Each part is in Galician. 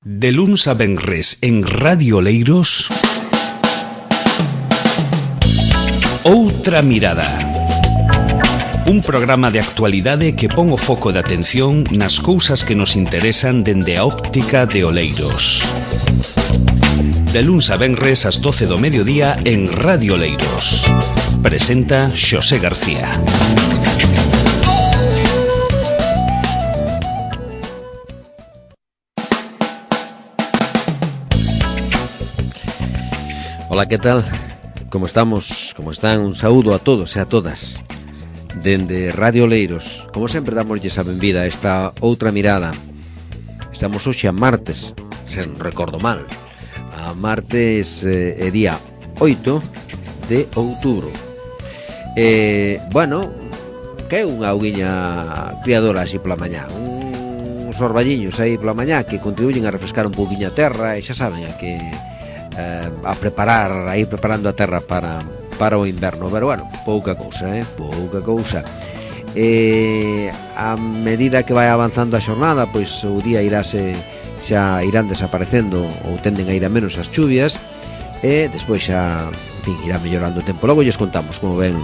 De luns a venres en Radio Oleiros, Outra Mirada. Un programa de actualidade que pon o foco de atención nas cousas que nos interesan dende a óptica de Oleiros. De luns a venres ás 12 do mediodía en Radio Oleiros. Presenta Xosé García. Ola, que tal? Como estamos? Como están? Un saúdo a todos e a todas dende Radio Oleiros. Como sempre, damoslle a benvida a esta outra mirada. Estamos hoxe a martes, se non recordo mal. A martes é día 8 de outubro. Bueno, que é unha auguiña criadora así pola mañá. Uns orballiños aí pola mañá que contribuyen a refrescar un pouquiño a terra e xa saben a preparar, a ir preparando a terra para o inverno. Pero bueno, pouca cousa. A medida que vai avanzando a xornada, pois o día xa irán desaparecendo ou tenden a ir a menos as chuvias e despois xa, en fin, irá mellorando o tempo. Logo lles contamos como ven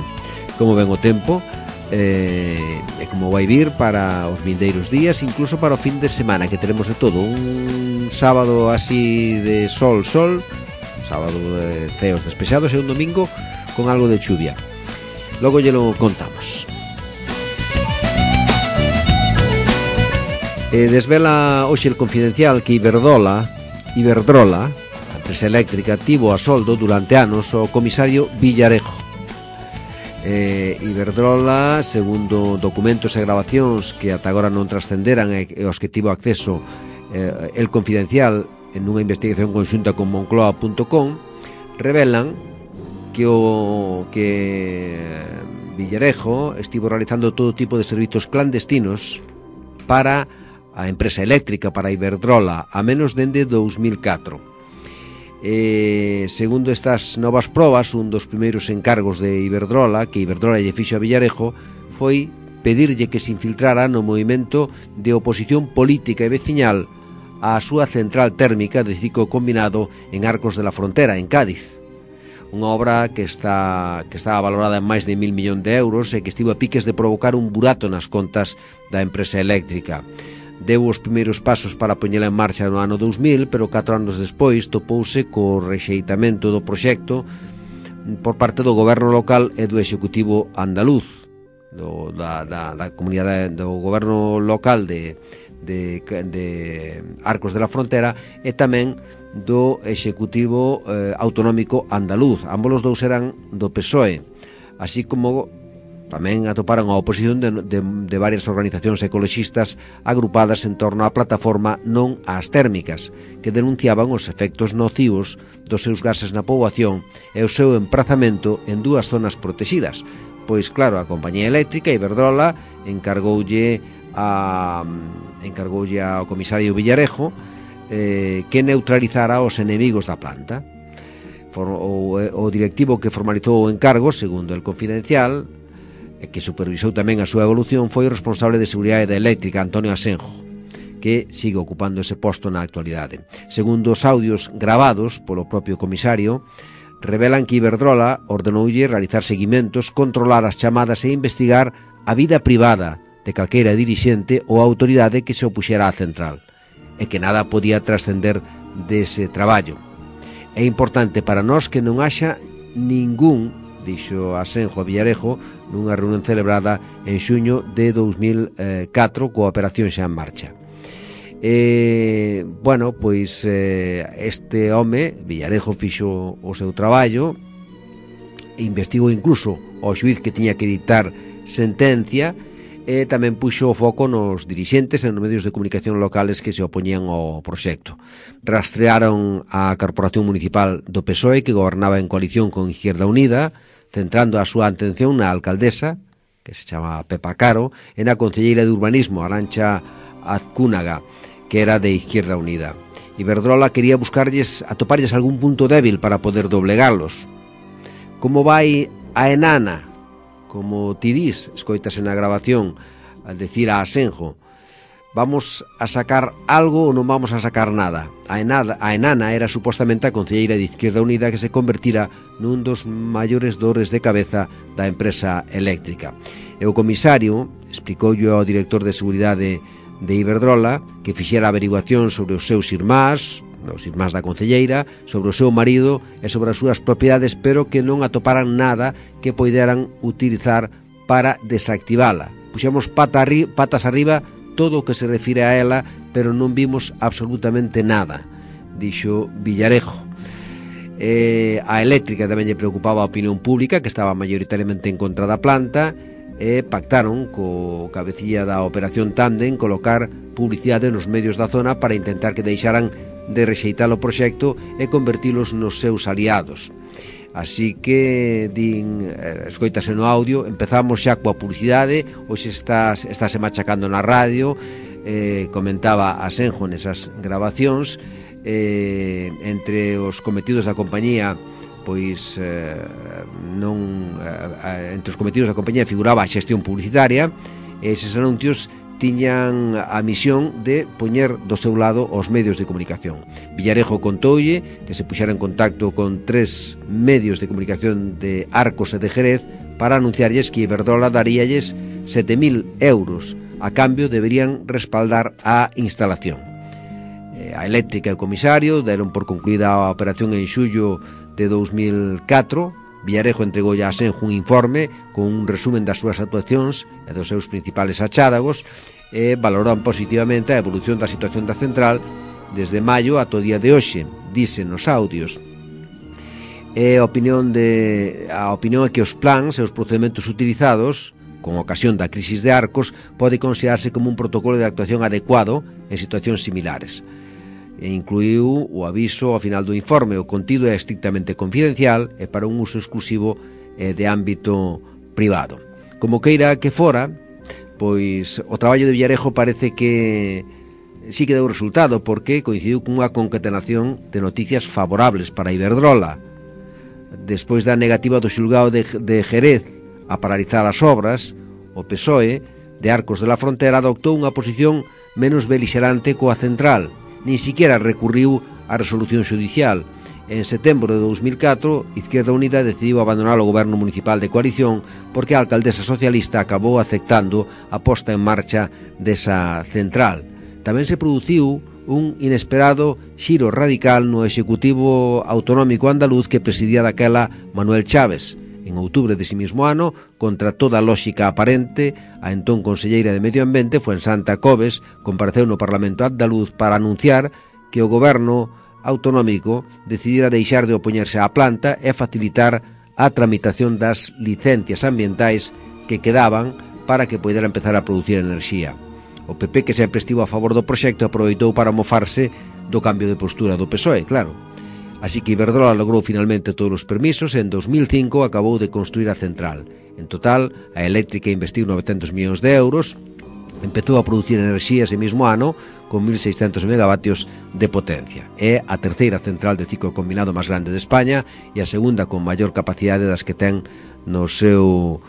o tempo e como vai vir para os vindeiros días, incluso para o fin de semana, que teremos de todo. Un sábado así de sol, sábado de ceos despexados e un domingo con algo de chuvia. Logo lle lo contamos. Desvela hoxe el Confidencial que Iberdrola, a empresa eléctrica, tivo a soldo durante anos o comisario Villarejo. Iberdrola, segundo documentos e grabacións que ata agora non trascenderan e aos que tivo acceso el Confidencial en unha investigación conxunta con Moncloa.com, revelan que Villarejo estivo realizando todo tipo de servizos clandestinos para a empresa eléctrica, para Iberdrola, a menos dende 2004. Segundo estas novas probas, un dos primeiros encargos de Iberdrola, que Iberdrola lle fixo a Villarejo, foi pedirlle que se infiltrara no movimento de oposición política e veciñal a súa central térmica de ciclo combinado en Arcos de la Frontera, en Cádiz. Unha obra que estaba valorada en máis de 1.000 millóns de euros e que estivo a piques de provocar un burato nas contas da empresa eléctrica. Deu os primeiros pasos para poñela en marcha no ano 2000, pero 4 anos despois topouse co rexeitamento do proxecto por parte do goberno local e do executivo andaluz, da comunidade do goberno local de Arcos de la Frontera e tamén do executivo autonómico andaluz. Ambos os dous eran do PSOE, así como tamén atoparon a oposición de varias organizacións ecoloxistas agrupadas en torno á plataforma Non ás Térmicas, que denunciaban os efectos nocivos dos seus gases na poboación e o seu emprazamento en dúas zonas protegidas. Pois claro, a compañía eléctrica Iberdrola encargoulle ao comisario Villarejo que neutralizara os enemigos da planta. O directivo que formalizou o encargo, segundo el Confidencial, e que supervisou tamén a súa evolución, foi o responsable de seguridade da eléctrica, Antonio Asenjo, que sigue ocupando ese posto na actualidade. Segundo os audios gravados polo propio comisario, revelan que Iberdrola ordenoulle realizar seguimentos, controlar as chamadas e investigar a vida privada de calqueira dirixente ou autoridade que se opuxera á central, e que nada podía trascender dese traballo. É importante para nós que non haxa ningún, dixo Asenjo a Villarejo nunha reunión celebrada en xuño de 2004 coa operación xa en marcha. Bueno, pois este home, Villarejo, fixo o seu traballo e investigou incluso ao xuíz que tiña que dictar sentencia e tamén puxo o foco nos dirixentes e nos medios de comunicación locales que se opoñían ao proxecto. Rastrearon a Corporación Municipal do PSOE, que gobernaba en coalición con Izquierda Unida, centrando a súa atención na alcaldesa, que se chama Pepa Caro, e na concelleira de Urbanismo, Arantxa Azcúnaga, que era de Izquierda Unida. Iberdrola quería atoparlles algún punto débil para poder doblegarlos. Como vai a enana? Como ti dis, escoitase na grabación, al decir a Asenjo, vamos a sacar algo ou non vamos a sacar nada. A enana era supostamente a concelleira de Izquierda Unida que se convertira nun dos maiores dores de cabeza da empresa eléctrica. E o comisario explicoulle ao director de seguridade de Iberdrola que fixera averiguación sobre os seus irmáns da concelleira, sobre o seu marido e sobre as súas propiedades, pero que non atoparan nada que poideran utilizar para desactivala. Puxemos patas arriba todo o que se refire a ela, pero non vimos absolutamente nada, dixo Villarejo. A eléctrica tamén lle preocupaba a opinión pública, que estaba maioritariamente en contra da planta, e pactaron co cabecilla da operación Tándem colocar publicidade nos medios da zona para intentar que deixaran de rexeitar o proxecto e convertilos nos seus aliados. Así que, escoítase no audio, empezamos xa coa publicidade, hoxe estáse machacando na radio, comentaba a Senjo nesas grabacións, entre os cometidos da compañía, pois entre os cometidos da compañía figuraba a xestión publicitaria, e eses anuncios tiñan a misión de poñer do seu lado os medios de comunicación. Villarejo contoulle que se puxera en contacto con 3 medios de comunicación de Arcos e de Jerez para anunciarlles que Iberdrola daríalles 7.000 euros. A cambio deberían respaldar a instalación. A eléctrica e o comisario deron por concluída a operación en xullo de 2004. Villarejo entregoulle a Senjo un informe con un resumen das súas actuacións e dos seus principales achádagos e valoran positivamente a evolución da situación da central desde maio ata o día de hoxe, dicen nos audios. A opinión é que os plans e os procedementos utilizados con ocasión da crisis de Arcos pode considerarse como un protocolo de actuación adecuado en situacións similares. E incluiu o aviso ao final do informe. O contido é estrictamente confidencial e para un uso exclusivo de ámbito privado. Como queira que fora, pois o traballo de Villarejo parece que sí que deu resultado, porque coincidiu cunha concatenación de noticias favorables para Iberdrola. Despois da negativa do xulgado de Jerez a paralizar as obras, o PSOE de Arcos de la Frontera adoptou unha posición menos beligerante coa central. Nin siquiera recurriu á resolución xudicial. En setembro de 2004, Izquierda Unida decidiu abandonar o goberno municipal de coalición porque a alcaldesa socialista acabou aceptando a posta en marcha desa central. Tamén se produciu un inesperado xiro radical no executivo autonómico andaluz que presidía daquela Manuel Chaves. En outubro dese mesmo ano, contra toda lógica aparente, a entón conselleira de Medio Ambiente, Fuensanta Cobes, compareceu no Parlamento andaluz para anunciar que o goberno autonómico decidira deixar de opoñerse á planta e facilitar a tramitación das licencias ambientais que quedaban para que poidera empezar a producir enerxía. O PP, que sempre estivo a favor do proxecto, aproveitou para mofarse do cambio de postura do PSOE, claro. Así que Iberdrola logrou finalmente todos os permisos e en 2005 acabou de construir a central. En total, a eléctrica investiu 900 millóns de euros, empezou a producir enerxía ese mesmo ano con 1.600 megavatios de potencia. É a terceira central de ciclo combinado máis grande de España e a segunda con maior capacidade das que ten no seu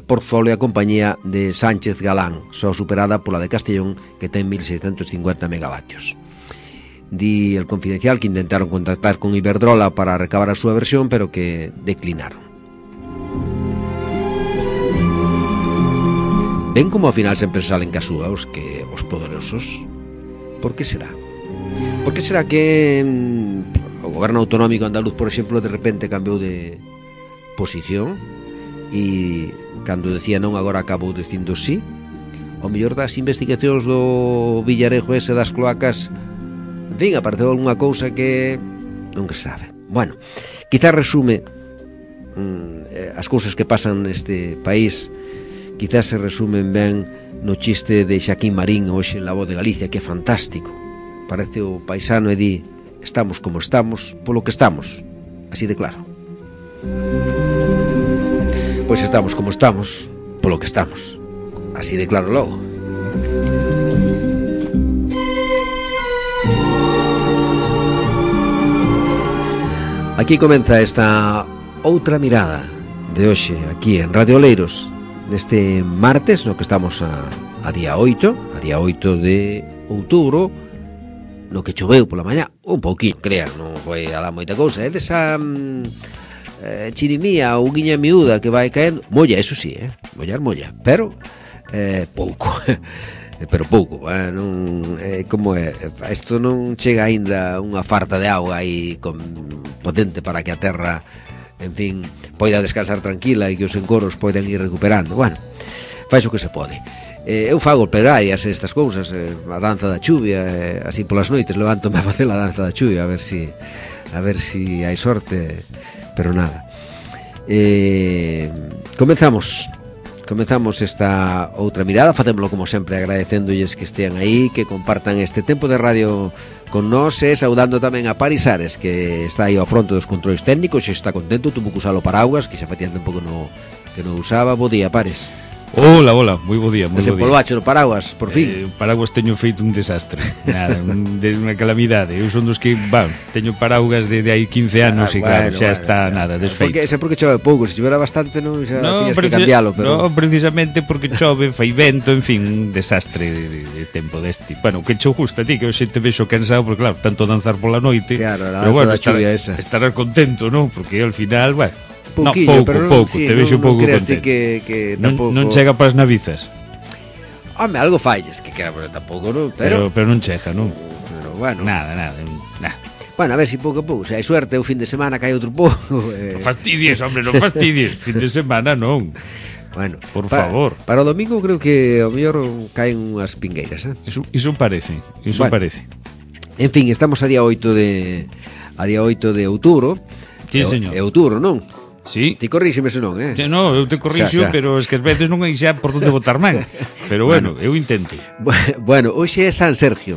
portfolio a compañía de Sánchez Galán, só superada pola de Castellón, que ten 1.650 megavatios. Di el Confidencial que intentaron contactar con Iberdrola para recabar a súa versión, pero que declinaron. Ven como ao final sempre salen casúa os poderosos. Por que será? Por que será que o goberno autonómico andaluz, por exemplo, de repente cambiou de posición e cando decía non agora acabou dicindo sí? O mellor das investigacións do Villarejo ese das cloacas, en fin, apareceu algunha cousa que non se sabe. Bueno, quizás resume as cousas que pasan neste país, quizás se resumen ben no chiste de Xaquín Marín hoxe en La Voz de Galicia, que é fantástico. Parece o paisano e di: estamos como estamos polo que estamos, así de claro. Pois estamos como estamos polo que estamos, así de claro logo. Aquí comeza esta outra mirada de hoxe aquí en Radio Oleiros, neste martes no que estamos a a día 8 de outubro, no que choveu pola mañá, un pouquinho, crean, non foi alá moita cousa, é desa chirimía ou guiña miúda que vai caendo, molla, eso sí, molla, pero pouco, pero pouco, non, como é, isto non chega aínda unha farta de auga aí potente para que a terra, en fin, poida descansar tranquila e que os encoros poidan ir recuperando. Bueno, faz o que se pode. Eu fago plegarias estas cousas, a danza da chuvia, así polas noites levántome a facer a danza da chuvia, a ver si hai sorte, pero nada. Comezamos esta outra mirada, facémolo como sempre agradecéndolles que estean aí, que compartan este tempo de radio con nós, e saudando tamén a Paris Ares, que está aí ao fronte dos controis técnicos, e está contento, tuvo que usar o paraguas, que xa facía tempo que non usaba. Bo día, Pares. Hola, moi bo día, moi bo día. Desempolvache no paraguas, por fin. O paraguas teño feito un desastre. Nada, unha calamidade. Eu son dos que, teño paraguas desde hai 15 anos e claro, xa está nada, desfeito. Porque chove pouco, se chovera bastante non xa tiñas que cambialo, pero... No, precisamente porque chove, fai vento, en fin, un desastre de tempo deste. Bueno, que cho gusta a ti, que hoxe te vexo cansado, porque claro, tanto danzar pola noite. Claro, a danza da chuvia esa. Estarás contento, non? Porque ao final, pouquillo, pouco, sí, te vexo pouco contento. Que tampouco... non chega para as navizas. Home, algo falles, que quera, pero tampouco, non? Pero non chega, non? Pero bueno. Nada. Bueno, a ver si pouco a pouco, se hai suerte, o fin de semana cae outro pouco. Non fastidies, hombre, non fastidies. Fin de semana non. Bueno, por favor. Para o domingo creo que ao mellor caen unhas pingueiras, Iso parece. En fin, estamos a día 8 de outubro. Sí, señor. É outubro, non? Sí. Ti corríxeme se non, No, eu te corrixo, pero es que as veces non hai xa por onde botar man. Pero bueno, eu intento. Bueno, hoxe é San Sergio,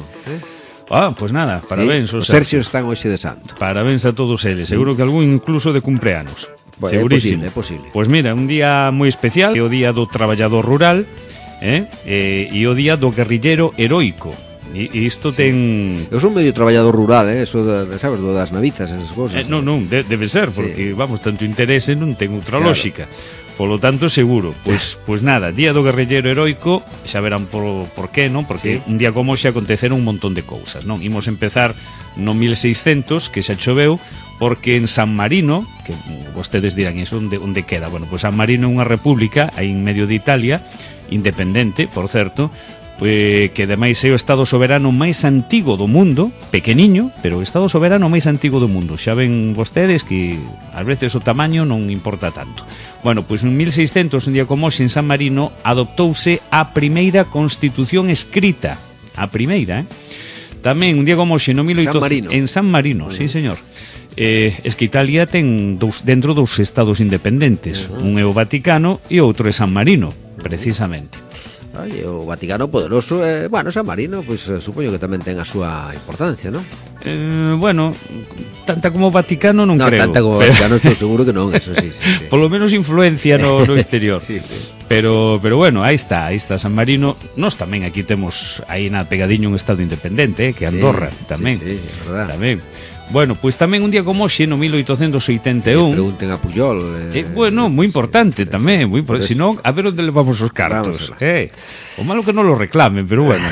Pois nada, parabéns, os Sergios están hoxe de santo. Parabéns a todos eles, seguro que algún incluso de cumpleanos. Segurísimo. É posible. Pois mira, un día moi especial, é o día do traballador rural, e o día do guerrillero heroico. E isto ten... Eu son medio traballador rural, eso sabes, do das navizas, esas cosas. Non, debe ser, porque, tanto interese non ten outra lógica. Polo tanto, seguro. Pois nada, día do guerrillero heroico, xa verán por qué, non? Porque un día como xe aconteceron un montón de cousas, non? Imos empezar no 1600, que xa choveu, porque en San Marino, que vostedes dirán, iso onde queda? Bueno, pois San Marino é unha república aí en medio de Italia, independente, por certo, que ademais é o estado soberano máis antigo do mundo, pequeniño, pero o estado soberano máis antigo do mundo. Xa ven vostedes que ás veces o tamaño non importa tanto. Bueno, pois en 1600, un día como hoxe, en San Marino, adoptouse a primeira constitución escrita. A primeira, Tamén, un día como hoxe, no 1800... En San Marino, sí, señor. Es que Italia ten dentro dous estados independentes. Un é o Vaticano e outro é San Marino, precisamente. O Vaticano poderoso, San Marino, pois supoño que tamén ten a súa importancia, non? Bueno, tanta como o Vaticano non creo. Tanta como o Vaticano estou seguro que non, eso sí. Polo menos influencia no exterior. Sí. Pero bueno, aí está San Marino. Nós tamén aquí temos aí na pegadiño un estado independente, que Andorra, tamén. Sí, é verdade. Tamén. Bueno, pois tamén un día como hoxe, no 1881... Pregunten a Puyol... Bueno, moi importante tamén, senón, a ver onde levamos os cartos. O malo que non lo reclamen, pero bueno,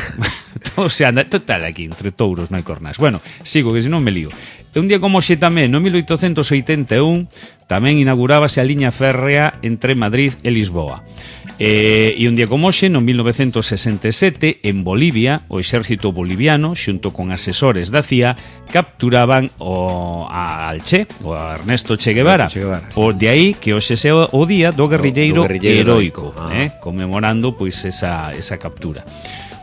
todo se anda, total aquí, entre touros non hai cornas. Bueno, sigo, que senón me lío. Un día como hoxe tamén, no 1881, tamén inaugurábase a liña férrea entre Madrid e Lisboa. E un día como hoxe, no 1967, en Bolivia, o exército boliviano, xunto con asesores da CIA, capturaban al Che, o a Ernesto Che Guevara. Por de aí que hoxe é o día do guerrilleiro heroico, conmemorando pois esa captura.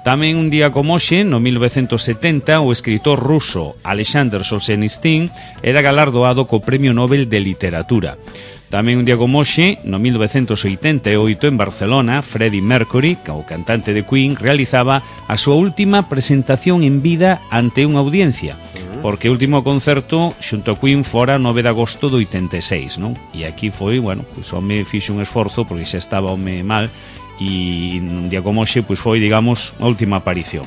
Tamén un día como hoxe, no 1970, o escritor ruso Alexander Solzhenitsyn era galardoado co Premio Nobel de Literatura. Tamén un día como hoxe, no 1988, en Barcelona, Freddie Mercury, o cantante de Queen, realizaba a súa última presentación en vida ante unha audiencia, porque o último concerto xunto a Queen fora 9 de agosto do 86, non? E aquí foi, bueno, pois o home fixo un esforzo porque xa estaba o home mal, e un día como hoxe pois foi, digamos, a última aparición.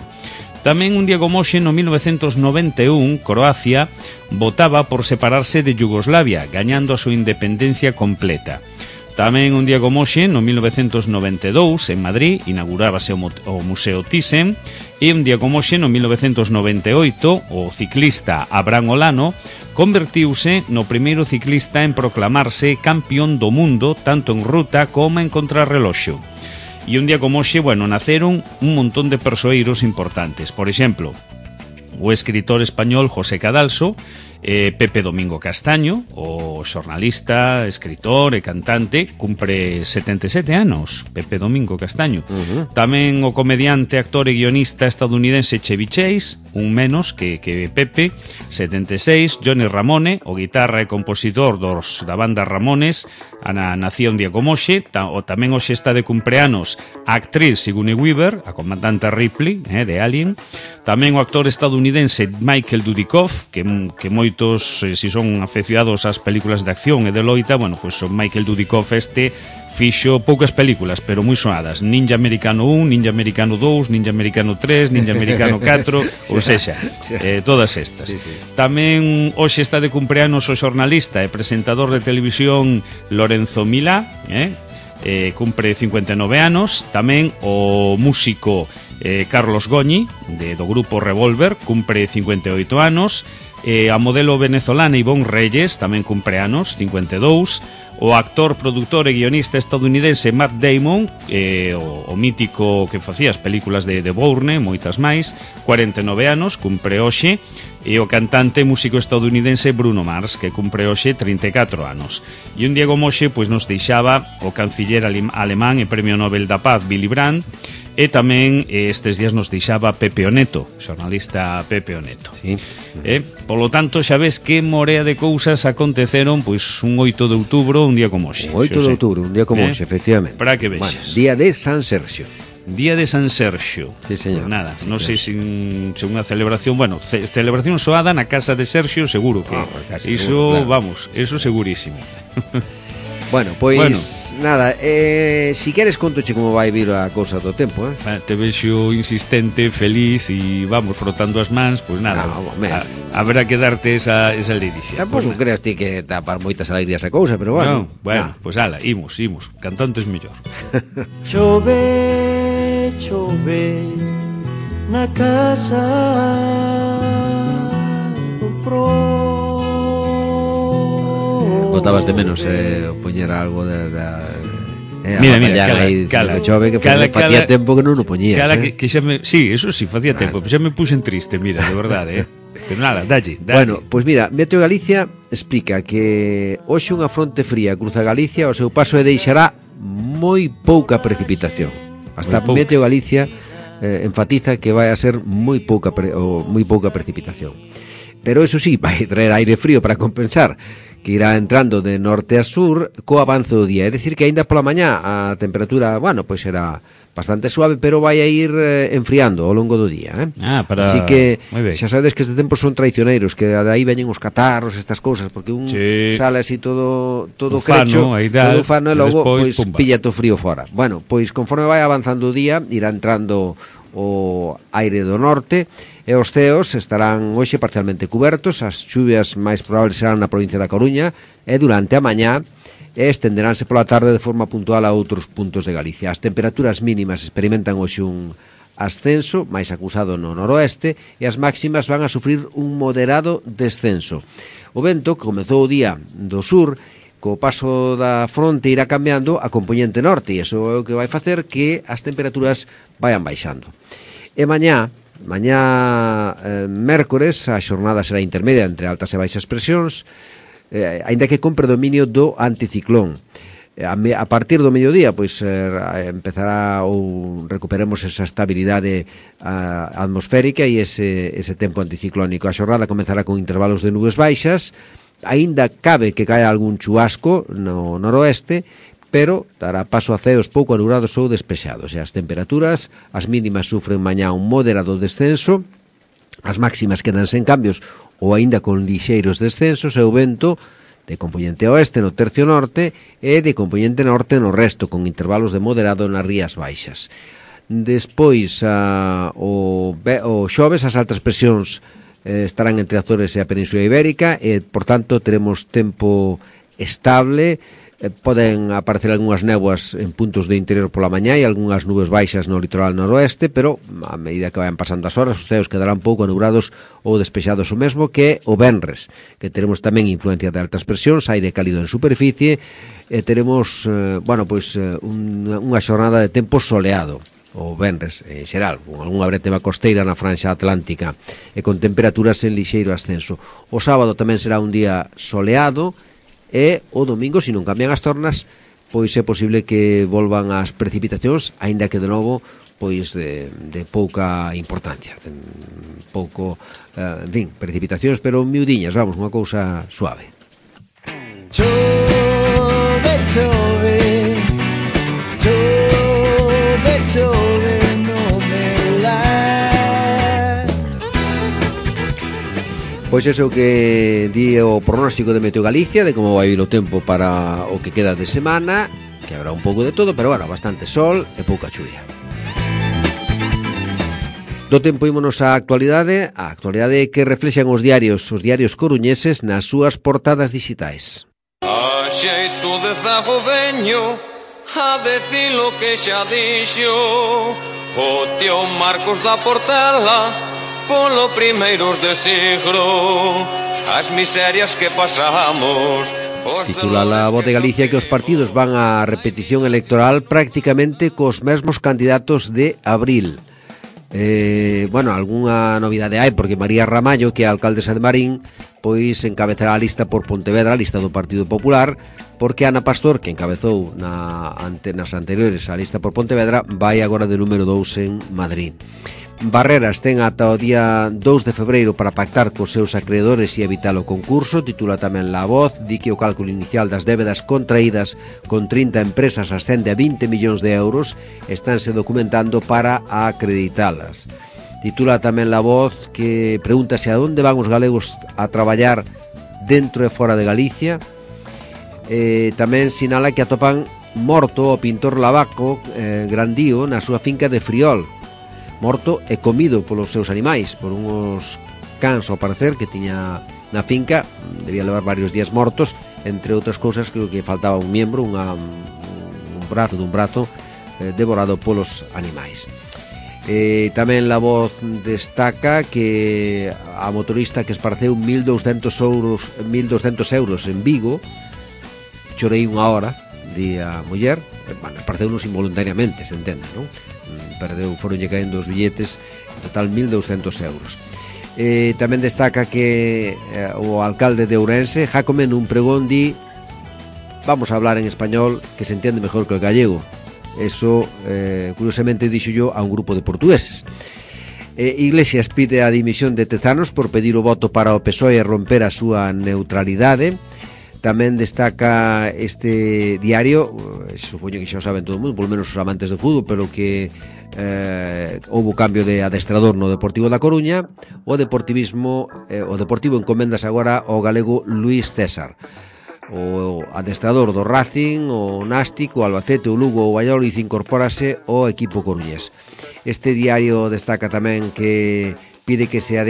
Tamén un día como hoxe, no 1991, Croacia votaba por separarse de Yugoslavia, gañando a súa independencia completa. Tamén un día como hoxe, no 1992, en Madrid, inaugurábase o Museo Thyssen, e un día como hoxe, no 1998, o ciclista Abraham Olano convertiuse no primeiro ciclista en proclamarse campeón do mundo tanto en ruta como en contrarreloxo. E un día como hoxe, naceron un montón de persoeiros importantes. Por exemplo, o escritor español José Cadalso, Pepe Domingo Castaño, o xornalista, escritor e cantante, cumpre 77 anos, Pepe Domingo Castaño. Tamén o comediante, actor e guionista estadounidense Chevy Chase, un menos que Pepe, 76, Johnny Ramone, o guitarra e compositor da banda Ramones, nacía un día como hoxe. O tamén hoxe está de cumpleanos a actriz Sigourney Weaver, a comandante Ripley, de Alien. Tamén o actor estadounidense Michael Dudikoff, que moitos, si son afeccionados ás películas de acción e de loita, pois o Michael Dudikoff fixo poucas películas, pero moi soadas. Ninja Americano 1, Ninja Americano 2, Ninja Americano 3, Ninja Americano 4, ou sexa, todas estas. Tamén hoxe está de cumpleanos o xornalista e presentador de televisión Lorenzo Milá, cumpre 59 anos. Tamén o músico Carlos Goñi, do grupo Revolver, cumpre 58 anos. A modelo venezolana Ivonne Reyes tamén cumpre anos, 52. O actor, produtor e guionista estadounidense Matt Damon, o mítico que facía as películas de Bourne, moitas máis, 49 anos, cumpre hoxe. E o cantante e músico estadounidense Bruno Mars, que cumpre hoxe 34 anos. E un día como hoxe, nos deixaba o canciller alemán e Premio Nobel da Paz Willy Brandt. E tamén estes días nos deixaba Pepe Oneto, xornalista Pepe Oneto. Sí. Polo tanto, xa ves que morea de cousas aconteceron un 8 de outubro, un día como hoxe. 8 de outubro, un día como hoxe, efectivamente. Para que vexas. Día de San Sergio. Día de San Sergio. Sí, señor. Nada, non sei se unha celebración, celebración soada na casa de Sergio, seguro que iso, claro. Vamos, eso segurísimo. Bueno, pois nada, si queres contoche como vai vir a cousa do tempo, Te vexo insistente, feliz e vamos frotando as mans, pois nada. Haberá que darte esa ledicia. Tampouco creas ti que tapar moitas alegrías a cousa, pero bueno. Pois ala, imos, cantantes mellor. Chove, chove na casa do pro. Botabas de menos poñer algo mira, cala, chove que facía tempo que non o poñías. Sí, eso sí, facía tempo, pero xa me puxen triste, mira, de verdade, Pero nada, dalle. Bueno, pois mira, Meteo Galicia explica que hoxe unha fronte fría cruza Galicia, o seu paso deixará moi pouca precipitación. Hasta Meteo Galicia enfatiza que vai a ser moi pouca precipitación. Pero eso sí, vai traer aire frío para compensar, que irá entrando de norte a sur co avance do día. É dicir que aínda pola mañá a temperatura, pois será bastante suave, pero vai a ir enfriando ao longo do día, Así que xa sabedes que este tempo son traicioneiros, que aí veñen os catarros, estas cousas, porque un sale así todo crecho, todo ufano, e logo pois pilla o frío fora. Bueno, pois conforme vai avanzando o día, irá entrando o aire do norte e os ceos estarán hoxe parcialmente cubertos. As chuvias máis probables serán na provincia da Coruña e durante a mañá estenderánse pola tarde de forma puntual a outros puntos de Galicia. As temperaturas mínimas experimentan hoxe un ascenso máis acusado no noroeste e as máximas van a sufrir un moderado descenso. O vento comezou o día do sur, co paso da fronte irá cambiando a componente norte, e iso é o que vai facer que as temperaturas vayan baixando. E mañá mércores, a xornada será intermedia entre altas e baixas presións, aínda que con predominio do anticiclón. A partir do mediodía, pois empezará ou recuperemos esa estabilidade atmosférica e ese tempo anticiclónico. A xornada comezará con intervalos de nubes baixas, aínda cabe que caia algún chubasco no noroeste, pero dará paso a ceos pouco anulados ou despexados. E as temperaturas, as mínimas sufren mañá un moderado descenso, as máximas quedan sen cambios ou aínda con lixeiros descensos, e o vento de componente oeste no tercio norte e de componente norte no resto, con intervalos de moderado nas rías baixas. Despois, o xoves, as altas presións estarán entre Azores e a Península Ibérica e, por tanto, teremos tempo estable Poden aparecer algunhas néboas en puntos de interior pola mañá e algunhas nubes baixas no litoral noroeste, pero a medida que vayan pasando as horas os ceos quedarán pouco anubrados ou despexados o mesmo que o venres, que teremos tamén influencia de altas presións, aire cálido en superficie, e teremos, unha xornada de tempo soleado o venres, en xeral, con algunha brétema costeira na franxa atlántica e con temperaturas en lixeiro ascenso. O sábado tamén será un día soleado, e o domingo, se non cambian as tornas, pois é posible que volvan as precipitacións, aínda que de novo pois de pouca importancia, pouco, en fin, precipitacións, pero miudiñas, vamos, unha cousa suave. Chove, chove, chove, chove, no me la. Pois eso que di o pronóstico de Meteo Galicia, de como vai ir o tempo para o que queda de semana, que habrá un pouco de todo, pero bueno, bastante sol e pouca chuvia. Do tempo ímonos á actualidade, que reflexan os diarios coruñeses nas súas portadas digitais. A xeito de zago veño a decir lo que xa dixo o tío Marcos da Portela polo primeiros de siglo, as miserias que pasamos. Titula La Voz de Galicia que os partidos van á repetición electoral prácticamente cos mesmos candidatos de abril. Algunha novidade hai, porque María Ramallo, que é a alcaldesa de Marín, pois encabezará a lista por Pontevedra, a lista do Partido Popular, porque Ana Pastor, que encabezou nas anteriores a lista por Pontevedra, vai agora de número 2 en Madrid. Barreras ten ata o día 2 de febreiro para pactar cos seus acreedores e evitar o concurso. Titula tamén La Voz, di que o cálculo inicial das débedas contraídas con 30 empresas ascende a 20 millóns de euros, estánse documentando para acreditalas. Titula tamén La Voz que pregúntase a onde van os galegos a traballar dentro e fora de Galicia. Tamén sinala que atopan morto o pintor Lavaco Grandío na súa finca de Friol, morto e comido polos seus animais, por unhos cans ao parecer que tiña na finca. Debía levar varios días mortos, entre outras cousas creo que faltaba un miembro, un brazo devorado polos animais. Tamén La Voz destaca que a motorista que esparceu 1.200 euros en Vigo, chorei unha hora, di a muller, esparceunos involuntariamente, se entende, non? Foronlle caendo os billetes, en total 1.200 euros. Tamén destaca que o alcalde de Ourense, Jácome, nun pregón di: vamos a hablar en español, que se entiende mejor que el gallego. Eso, curiosamente, dixo yo a un grupo de portugueses. Iglesias pide a dimisión de Tezanos por pedir o voto para o PSOE e romper a súa neutralidade. Tamén destaca este diario, supoño que xa o saben todo o mundo, polo menos os amantes do fútbol, pero que houve cambio de adestrador no Deportivo da Coruña. O Deportivo encoméndase agora ao galego Luís César. O adestrador do Racing, o Nástic, o Albacete, o Lugo, o Valladolid incorpórase ao equipo coruñés. Este diario destaca tamén que pide que lle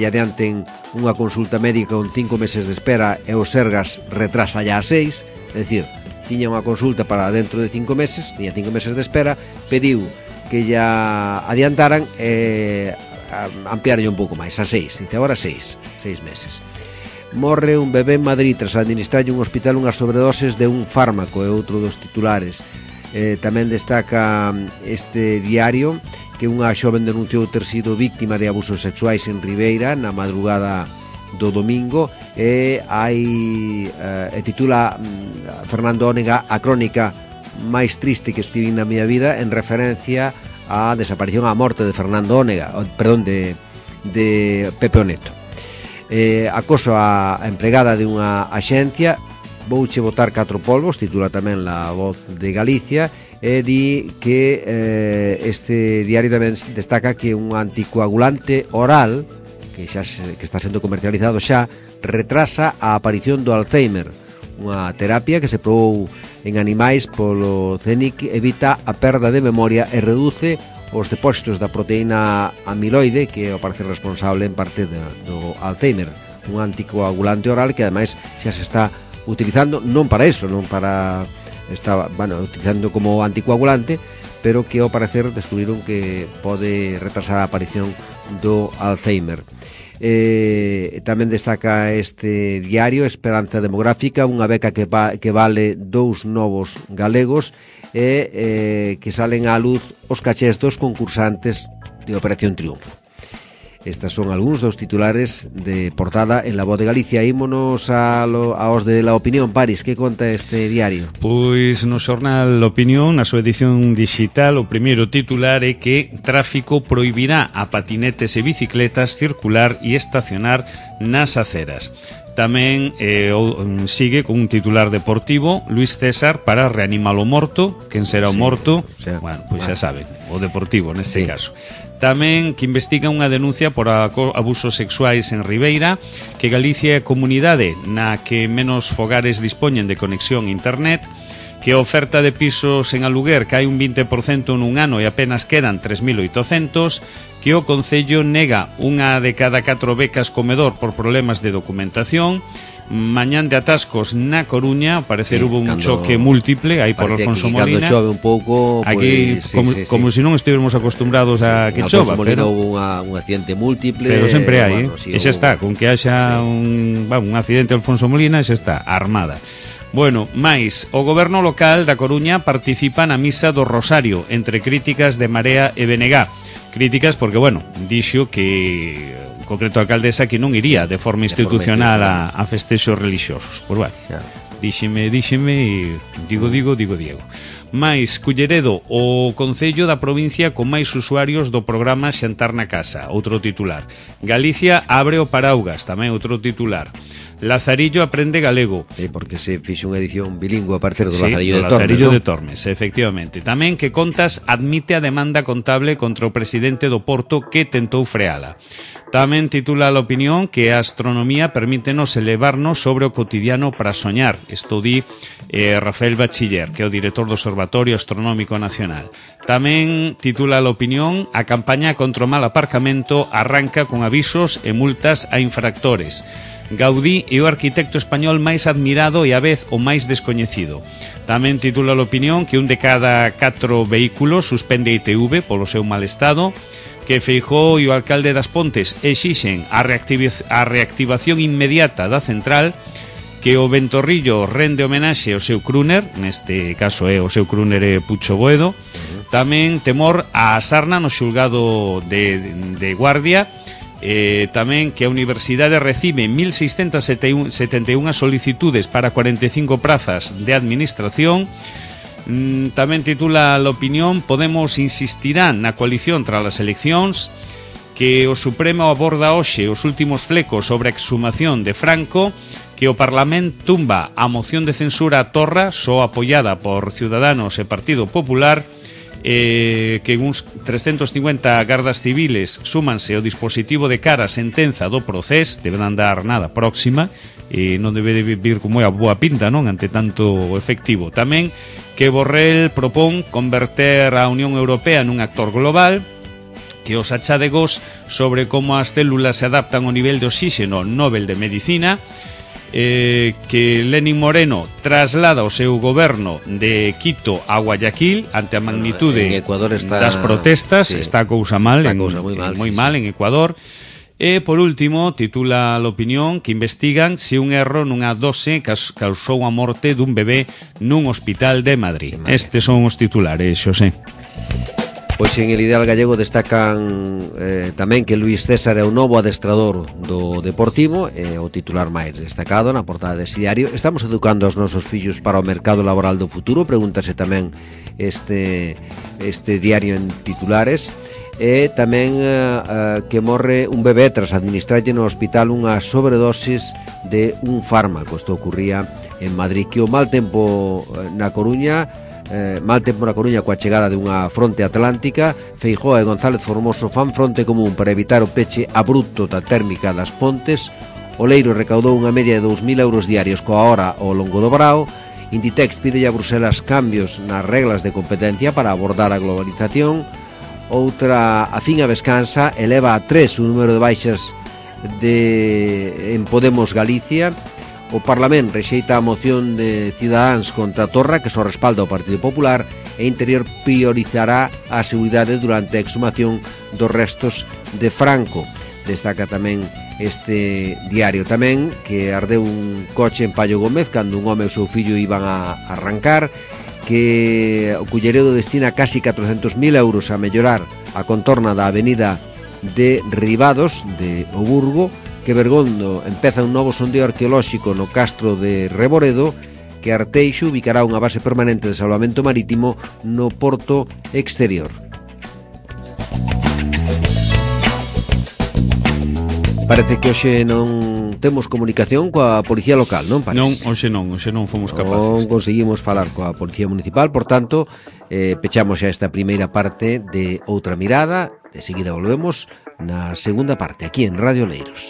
adianten unha consulta médica con 5 meses de espera e o Sergas retrasa ya a 6, é dicir, tiña unha consulta para dentro de 5 meses, tiña 5 meses de espera, pediu que ya adiantaran e ampliaron un pouco máis, a 6, dice agora 6 meses. Morre un bebé en Madrid tras administrarlle un hospital unhas sobredoses de un fármaco, é outro dos titulares. Tamén destaca este diario que unha xoven denunciou ter sido víctima de abusos sexuais en Ribeira na madrugada do domingo e titula Fernando Ónega a crónica máis triste que escribín na miña vida, en referencia á desaparición, á morte de Fernando Ónega, de Pepe Oneto. Acoso á empregada de unha axencia, vouche botar 4 polvos, titula tamén La Voz de Galicia. E di que este diario tamén destaca que un anticoagulante oral que está sendo comercializado xa retrasa a aparición do Alzheimer, unha terapia que se probou en animais polo CENIC, evita a perda de memoria e reduce os depósitos da proteína amiloide, que é o parecer responsable en parte do Alzheimer. Un anticoagulante oral que ademais xa se está utilizando non para eso, non para utilizando como anticoagulante, pero que ao parecer descubriron que pode retrasar a aparición do Alzheimer. Tamén destaca este diario Esperanza Demográfica, unha beca que vale 2 novos galegos e que salen á luz os cachés dos concursantes de Operación Triunfo. Estas son algúns dos titulares de portada en La Voz de Galicia. Ímonos aos de La Opinión. Paris, que conta este diario? Pois no xornal Opinión, na súa edición digital, o primeiro titular é que tráfico prohibirá a patinetes e bicicletas circular e estacionar nas aceras. Tamén sigue con un titular deportivo, Luis César para reanimar o morto. Quen será o morto? Bueno, pois xa saben, o Deportivo neste caso. Tamén que investiga unha denuncia por abusos sexuais en Ribeira, que Galicia é a comunidade na que menos fogares dispoñen de conexión a internet, que a oferta de pisos en aluguer cae un 20% nun ano e apenas quedan 3.800, que o Concello nega unha de cada 4 becas comedor por problemas de documentación. Mañán de atascos na Coruña, ao parecer hubo un choque múltiple aí por Alfonso Molina. Cando chove un pouco, aquí como se non estivermos acostumbrados a que chova, pero hubo un accidente múltiple, pero sempre hai, e xa está, con que haxa un accidente Alfonso Molina, xa está armada. Bueno, máis, o goberno local da Coruña participa na misa do Rosario entre críticas de Marea e BNG. Críticas porque, bueno, dixo que en concreto a alcaldesa que non iría de forma institucional a festexos religiosos. Pois bueno, díxeme e digo Diego. Mais, Culleredo, o Concello da provincia con máis usuarios do programa Xantar na Casa, outro titular. Galicia abre o paraugas, tamén outro titular. Lazarillo aprende galego. Porque se fixe unha edición bilingüe a parecer do Lazarillo de Tormes, efectivamente. Tamén que Contas admite a demanda contable contra o presidente do Porto que tentou freala. Tamén titula a Opinión que a astronomía permítenos elevarnos sobre o cotidiano para soñar. Isto di Rafael Bachiller, que é o director do Observatorio Astronómico Nacional. Tamén titula a Opinión a campaña contra o mal aparcamento arranca con avisos e multas a infractores. Gaudí é o arquitecto español máis admirado e a vez o máis descoñecido. Tamén titula a Opinión que un de cada 4 vehículos suspende a ITV polo seu mal estado, que Feijóo e o alcalde das Pontes exixen a reactivación inmediata da central, que o Ventorrillo rende homenaxe ao seu crooner, neste caso é o seu crooner Pucho Boedo. Tamén temor á sarna no xulgado de Guardia. Tamén que a Universidade recibe 1.671 solicitudes para 45 prazas de administración. Tamén titula a Opinión Podemos insistirá na coalición tras as eleccións, que o Supremo aborda hoxe os últimos flecos sobre a exhumación de Franco, que o Parlamento tumba a moción de censura a Torra, só apoiada por Ciudadanos e Partido Popular, que uns 350 gardas civiles súmanse ao dispositivo de cara a sentenza do procés, deben andar nada próxima, e non debe de vir como é a boa pinta, non, ante tanto efectivo. Tamén que Borrell propón converter a Unión Europea nun actor global, que os achadegos sobre como as células se adaptan ao nivel de oxígeno Nobel de Medicina, que Lenín Moreno traslada o seu goberno de Quito a Guayaquil ante a magnitude das protestas. Está a cousa mal, moi mal en Ecuador. E, por último, titula a Opinión que investigan se un erro nunha dose causou a morte dun bebé nun hospital de Madrid. Estes son os titulares, Xosé. Pois en el Ideal Gallego destacan tamén que Luis César é o novo adestrador do Deportivo, é o titular máis destacado na portada deste diario. Estamos educando os nosos fillos para o mercado laboral do futuro, pregúntase tamén este diario en titulares. E tamén que morre un bebé tras administrarlle no hospital unha sobredosis de un fármaco. Isto ocurría en Madrid. Que o mal tempo na Coruña coa chegada dunha fronte atlántica, Feijóo e González Formoso fan fronte común para evitar o peche abrupto da térmica das Pontes. Oleiro recaudou unha media de 2.000 euros diarios coa hora ao longo do Brao. Inditex pide a Bruselas cambios nas reglas de competencia para abordar a globalización. Outra, a Finga Vescansa, eleva a 3 o número de baixas en Podemos Galicia. O Parlamento rexeita a moción de Cidadáns contra Torra, que só respalda o Partido Popular, e Interior priorizará a seguridade durante a exhumación dos restos de Franco. Destaca tamén este diario tamén que ardeu un coche en Paio Gómez cando un home e o seu fillo iban a arrancar, que o Culleredo destina casi 400.000 euros a mellorar a contorna da avenida de Ribados de O Burgo, que Bergondo empeza un novo sondeo arqueolóxico no castro de Reboredo, que Arteixo ubicará unha base permanente de salvamento marítimo no porto exterior. Parece que hoxe non temos comunicación coa Policía Local, non parece? Non, hoxe non fomos capaces. Non conseguimos falar coa Policía Municipal, por tanto, pechamos xa esta primeira parte de Outra Mirada. De seguida volvemos na segunda parte, aquí en Radio Oleiros.